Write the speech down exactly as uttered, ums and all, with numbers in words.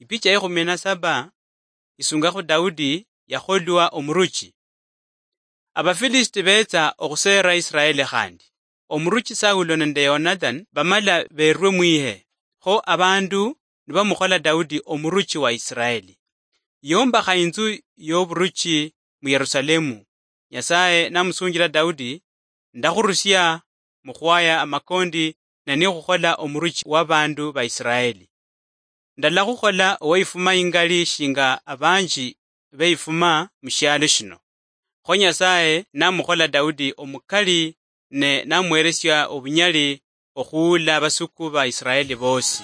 Ipicha ikhumi na saba isungakho Daudi yakholwa omuruchi. Abafilisiti betsa okhuseera Israeli khandi. Omuruchi Saulo nende Yonathan bamala berwe mwihe, kho abandu nibamukhola Daudi omuruchi wa Israeli. Yombakha inzu yoburuchi mu Yerusalemu. Nyasaye namusunjila Daudi, "Ndakhurusia mukhwaya amakondi nani khukhola omuruchi wa bandu ba Israeli. Ndalakhukhola oweyifuma ingali shinga abanji beyifuma mushialo shino." Kho Nyasaye namukhola Daudi omukali ne namuheresia obunyali okhuula abasuku ba Israeli bosi.